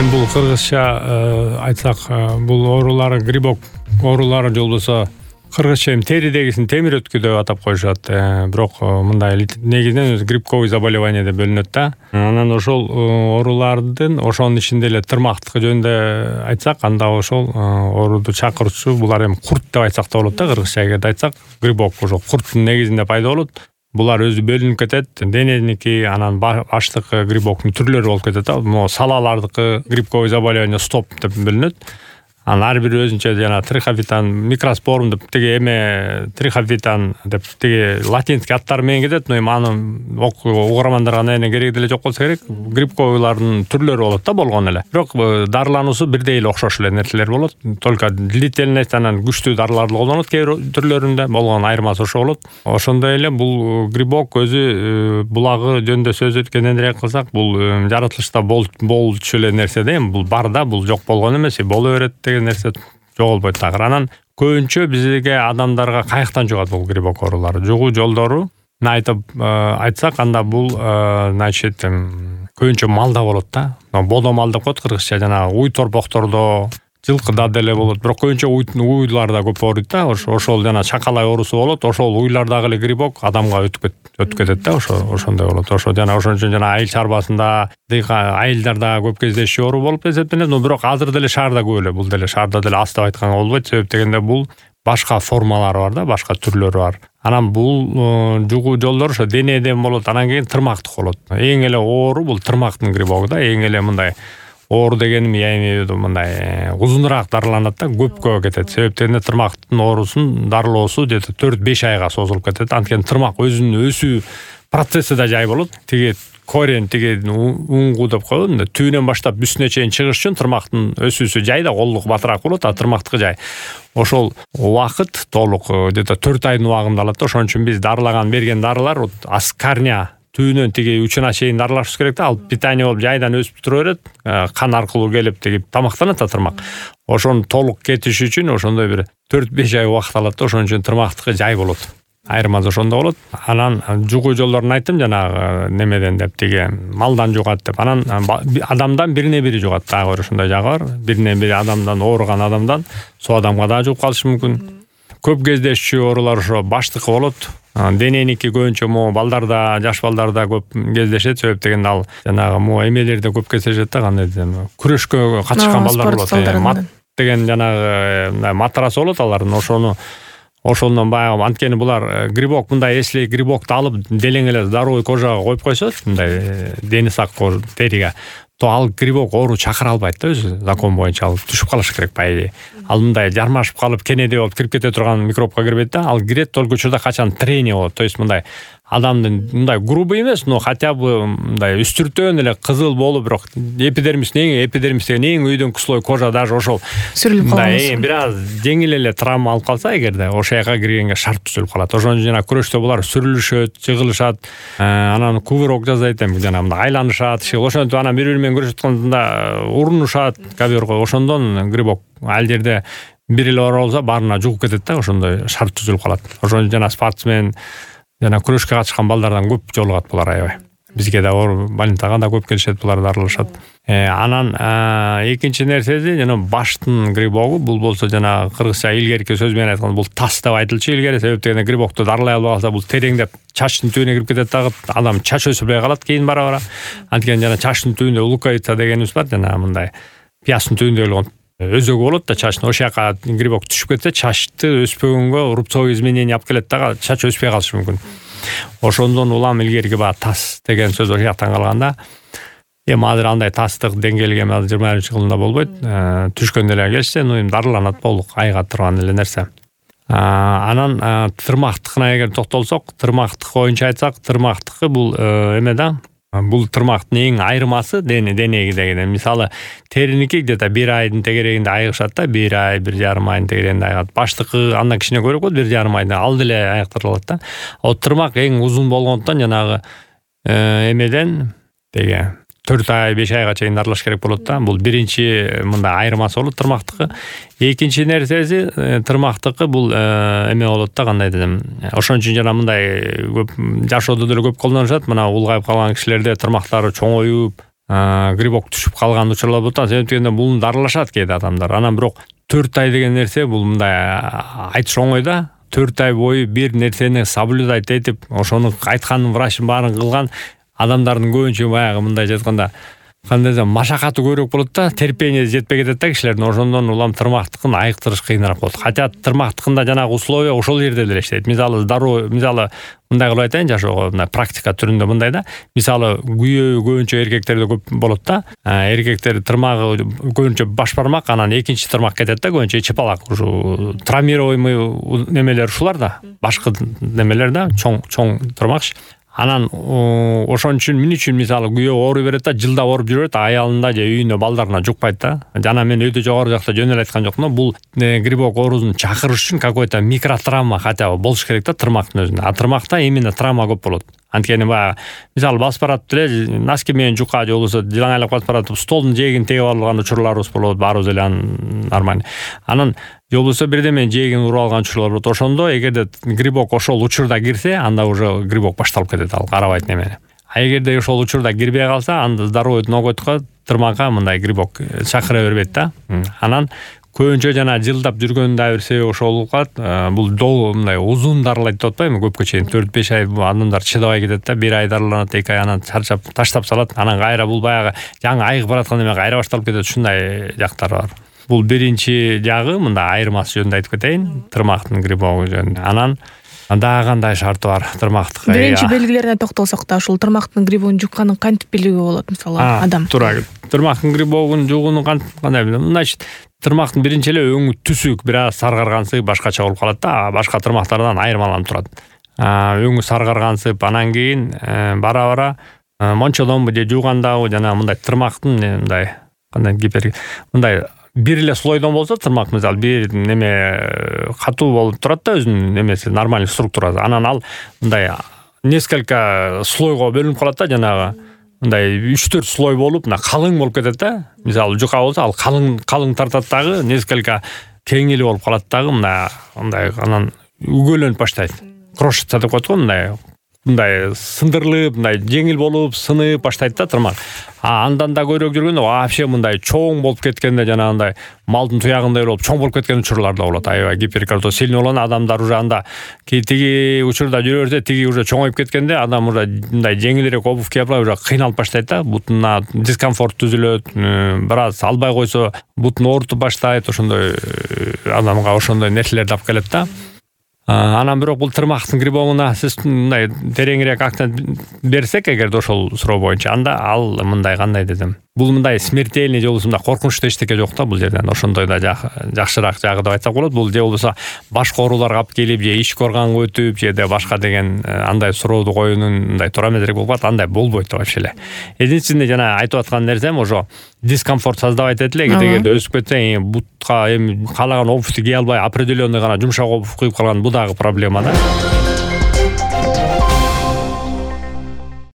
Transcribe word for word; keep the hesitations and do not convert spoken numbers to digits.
эми бул кыргызча айтсак, бул оорулар грибок оорулары же болбосо кыргызча эми теридегисин темир өткү деп атап коюшат. Бирок мындай негизинен грибковый заболевание деп бөлүнөт да. Анан ошол оорулардын ошонун ичинде эле тырмактыкы жөнүндө айтсак, анда ошол ооруду чакыруучу булар эми курт деп айтсак да болот да, кыргызча эгерде айтсак, грибок ошол курттун негизинде пайда болот. Булар өзү бөлүнүп кетет. Дененики, анан баштыкы грибоктун түрлөрү болуп кетет да. Могу салалардыкы грибковый заболевание стоп деп бөлүнөт. Анан ар бири өзүнчө жана трихофитан, микроспорум деп тиги эме трихофитан деп тиги латинский аттары менен кетет, но эми аны угармандарга аябай кереги деле жок болсо керек. Грибковыйлардын түрлөрү болот да болгон эле. Бирок дарылануусу бирдей эле окшош эле нерселер болот. Только длительность анан күчтүү дарыларды колдонот кээ бир түрлөрүндө, болгон айырмасы ошо болот. Ошондой эле бул грибок өзү булагы жөнүндө сөз эткенден кылсак, бул жаратылышта болчу эле нерсе да, эми бул бар да, бул жок болгон эмес, боло берет нерсе жоголбойт дагы. Анан көбүнчө бизге адамдарга каяктан жугат бул грибок оорулары? Жугуу жолдору айтып айтсак, анда бул значит көбүнчө малда болот да. Бодо мал деп коет кыргызча, жана уй торпоктордо, жылкыда деле болот. Бирок көбүнчө уйларда көп ооруйт да. Ошол жана чакалай оорусу болот. Ошол уйлардагы эле грибок адамга өтүп өтүп кетет да. Ошо ошондой болот. Ошо жана ошон үчүн жана айыл чарбасында айылдарда көп кездешүү оору болуп эсептелет. Но бирок азыр деле шаарда көп эле. Бул деле шаарда деле аз деп айтканга болбойт. Себеп дегенде бул башка формалары бар да, башка түрлөрү бар. Анан бул жугуу жолдор ошо денеден болот, анан кийин тырмактык болот. Эң эле оору бул тырмактын грибогу да. Эң эле мындай оору дегеним эми мындай узунураак дарыланат да, көпкө кетет. Себеп дегенде тырмактын оорусун дарылоосу где-то төрт беш айга созулуп кетет. Анткени тырмак өзүнүн өсүү процесси да жай болот. Тиги корень, тиги уңгу деп коет, түбүнөн баштап үстүнө чейин чыгыш үчүн тырмактын өсүүсү жай да, колдук батыраак болот, а тырмактыкы жай. Ошол убакыт толук где-то төрт айдын убагында алат да. Ошон үчүн биз дарылаган берген дарылар аскарня түбүнөн тиги учуна чейин дарылашыбыз керек да. Ал питание болуп жайдан өсүп тура берет, кан аркылуу келип тиги тамактанат да тырмак. Ошону толук кетиш үчүн ошондой бир төрт беш ай убакыт алат да. Ошон үчүн тырмактыкы жай болот. Айырмасы ошондо болот. Анан жугуу жолдорун айттым жанагы немеден деп, тиги малдан жугат деп. Анан адамдан бирине бири жугат. Дагы ошондой жагы бар. Бирине бири адамдан, ооруган адамдан со адамга дагы жугуп калышы мүмкүн. Көп кездешчү оорулар ошо баштыкы болот. Дененики көбүнчө могу балдарда, жаш балдарда көп кездешет. Себеп дегенде ал жанагы могу эмелерде көп кездешет да, кандай десем, күрөшкө катышкан балдар болот. Мат деген жанагы матрасы болот алардын. Ошону ошондон баягы, анткени булар грибок, мындай если грибокты алып делең эле здоровый кожага коюп койсо, мындай дени сак териге, то ал грибок оору чакыра албайт да, өзү закон боюнча ал түшүп калыш керек по идее. Ал мындай жармашып калып кенеде болуп кирип кете турган микробко кирбейт да. Ал кирет только учурда качан трение болот. То есть мындай адамдын мындай грубый эмес, но хотя бы мындай үстүртөн эле кызыл болуп, бирок эпидермис эң эпидермис деген эң өйдөңкү слой кожа даже ошол сүрүлүп калат. Бир аз жеңил эле травма алып калса эгерде, ошол жака киргенге шарт түзүлүп калат. Ошон үчүн жана күрөштө булар сүрүлүшөт, жыгылышат, анан кувырок жасайт, эми жана мындай айланышат, ошентип анан бири-бири менен күрөшүп атканда урунушат коверго. Ошондон грибок ал жерде бир эле оору болсо баарына жугуп кетет да, ошондой шарт түзүлүп калат. Ошон жана спортсмен жана күрөшкө катышкан балдардан көп жолугат булар аябай. Бизге да оор больницага да көп келишет, булар дарылашат. Анан экинчи нерсеси жана баштын грибогу, бул болсо жана кыргызча илгерки сөз менен айтканда бул тас деп айтылчу илгери. Себеп дегенде грибокту дарылай албай калса бул тереңдеп чачтын түбүнө кирип кетет дагы, адам чач өсүрбөй калат кийин бара-бара. Анткени жана чачтын түбүндө луковица дегенибиз бар, жана мындай пиястын түбүндө болгон өзөгү болот да чачтын. Ошол жака грибок түшүп кетсе, чачты өспөгөнгө рубцовый изменение алып келет дагы, чач өспөй калышы мүмкүн. Ошондон улам илгерки баягы тас деген сөз ошол жактан калганда, эми азыр андай тастык деңгээлге азыр жыйырма биринчи кылымда болбойт. Түшкөндө эле келсе, но эми дарыланат толук айыга турган эле нерсе. Анан тырмактыкына эгер токтолсок, тырмактык боюнча айтсак, тырмактыкы бул эме да, бул тырмактын эң айырмасы дене денегидеги. Мисалы териники где-то бир айдын тегерегинде айыгышат да, бир ай, бир жарым айдын тегерегинде айыгат. Баштыкы андан кичине көбүрөөк болот, бир жарым айда ал деле айыктырылат да. Ал тырмак эң узун болгондуктан жанагы эмеден деге төрт ай, беш айга чейин дарылаш керек болот да. Бул биринчи мындай айырмасы болот тырмактыкы. Экинчи нерсеси тырмактыкы бул эме болот да, кандай десем. Ошон үчүн жана мындай көп жашоодо деле көп колдонушат. Мына улгайып калган кишилерде тырмактары чоңоюп, грибок түшүп калган учурлар болот. Себеп дегенде бул дарылашат кээде адамдар. Анан бирок төрт ай деген нерсе бул мындай айтыш оңой да. төрт ай бою бир нерсени соблюдать этип, ошону айткан врачтын баарын кылган адамдардын көбүнчө баягы мындай жатканда кандай десем машакаты көбүрөөк болот да, терпение жетпей кетет да кишилердин. Ошондон улам тырмактыкын айыктырыш кыйыныраак болот. Хотя тырмактыкында жанагы условия ошол жерде деле иштейт. Мисалы здоровый, мисалы мындай кылып айтайын, жашоого мындай практика түрүндө мындай да. Мисалы күйөө көбүнчө эркектерде көп болот да. Эркектер тырмагы көбүнчө баш бармак, анан экинчи тырмак кетет да, көбүнчө чыпалак. Ушу травмируемый немелер ушулар да. Башкы немелер да, чоң чоң тырмак. Анан ошон үчүн мен үчүн мисалы күйөө ооруй берет да, жылда ооруп жүрөт, аялында же үйүндө балдарына жукпайт да. Жана мен өтө жогору жакта жөн эле айткан жокмун. Бул грибок оорусун чакырыш үчүн какой-то микротравма хотя бы болуш керек да тырмактын өзүндө. А тырмакта именно травма көп болот. Анткени баягы мисалы басып баратып деле носки менен жука же болбосо жалаңайлап басып баратып столдун жээгин тегип алган учурларыбыз болот, баарыбыз эле нормально. Анан же болбосо бирдеменин жээгин уруп алган учурлар болот. Ошондо эгерде грибок ошол учурда кирсе, анда уже грибок башталып кетет, ал карабайт немени. А эгерде ошол учурда кирбей калса, анда здоровый ноготко тырмакка мындай грибок чакыра бербейт да. Анан көбүнчө жана жылдап жүргөндүн да бир себеби ошол болуп калат. Бул долго мындай узун дарылайт деп атпайбы, көпкө чейин төрт беш ай адамдар чыдабай кетет да, бир ай дарыланат, эки ай анан чарчап таштап салат. Анан кайра бул баягы жаңы айыгып бараткан эме кайра башталып кетет, ушундай жактары бар. Бул биринчи жагы, мындай айырмасы жөнүндө айтып кетейин, тырмактын грибогу жөнүндө. Анан дагы кандай шарты бар тырмактыкы? Биринчи белгилерине токтолсок да, ушул тырмактын грибогун жукканын кантип билүүгө болот, мисалы адам? Туура. Тырмактын грибогун жугууну кандай билем? Значит, тырмактын биринчи эле өңү түсүк, бир аз саргаргансып башкача болуп калат да, башка тырмактардан айырмаланып турат. Өңү саргаргансып, анан кийин бара-бара мончодонбу же жуугандабы жана мындай тырмактын мындай кандай гипер мындай бир эле слойдон болсо тырмак, мисалы бир неме катуу болуп турат да, өзүнүн немеси нормальный структурасы. Анан ал мындай несколько слойго бөлүнүп калат да, жанагы мындай үч төрт слой болуп, мына калың болуп кетет да. Мисалы жука болсо, ал калың калың тартат дагы, несколько кеңили болуп калат дагы, мындай мындай анан үгөлөнүп баштайт. Крошится деп коет го, мындай мындай сындырылып, мындай жеңил болуп, сынып баштайт да тырмак. А андан да көбүрөөк жүргөндө вообще мындай чоң болуп кеткенде, жанагындай малдын туягындай болуп чоң болуп кеткен учурлар да болот. Аябай гиперкардиоз сильный болгон адамдар уже анда тиги учурда жүрө берсе, тиги уже чоңоюп кеткенде адам уже мындай жеңилирээк обувь кийип алып уже кыйналып баштайт да, бутуна дискомфорт түзүлөт, бир аз албай койсо бутун оорутуп баштайт, ошондой адамга ошондой нерселерди алып келет да. Анан бирок бул тырмактын грибогуна сиз мындай тереңирээк акцент берсек, эгерде ошол суроо боюнча, анда ал мындай кандай десем, бул мындай смертельный же болбосо мындай коркунучтуу эчтеке жок да бул жерден. Ошондой да жакшыраак жагы деп айтсак болот. Бул же болбосо башка ооруларга алып келип, же ички органга өтүп, же де башка деген андай сурооду коюунун мындай туура эмес болуп калат. Андай болбойт вообще эле. Единственный жана айтып аткан нерсем ошо дискомфорт создавать этет эле. Эгерде өсүп кетсе, бутка эми каалаган обувьту кие албай, определенный гана жумшак обувь кийип калган, бул дагы проблема да.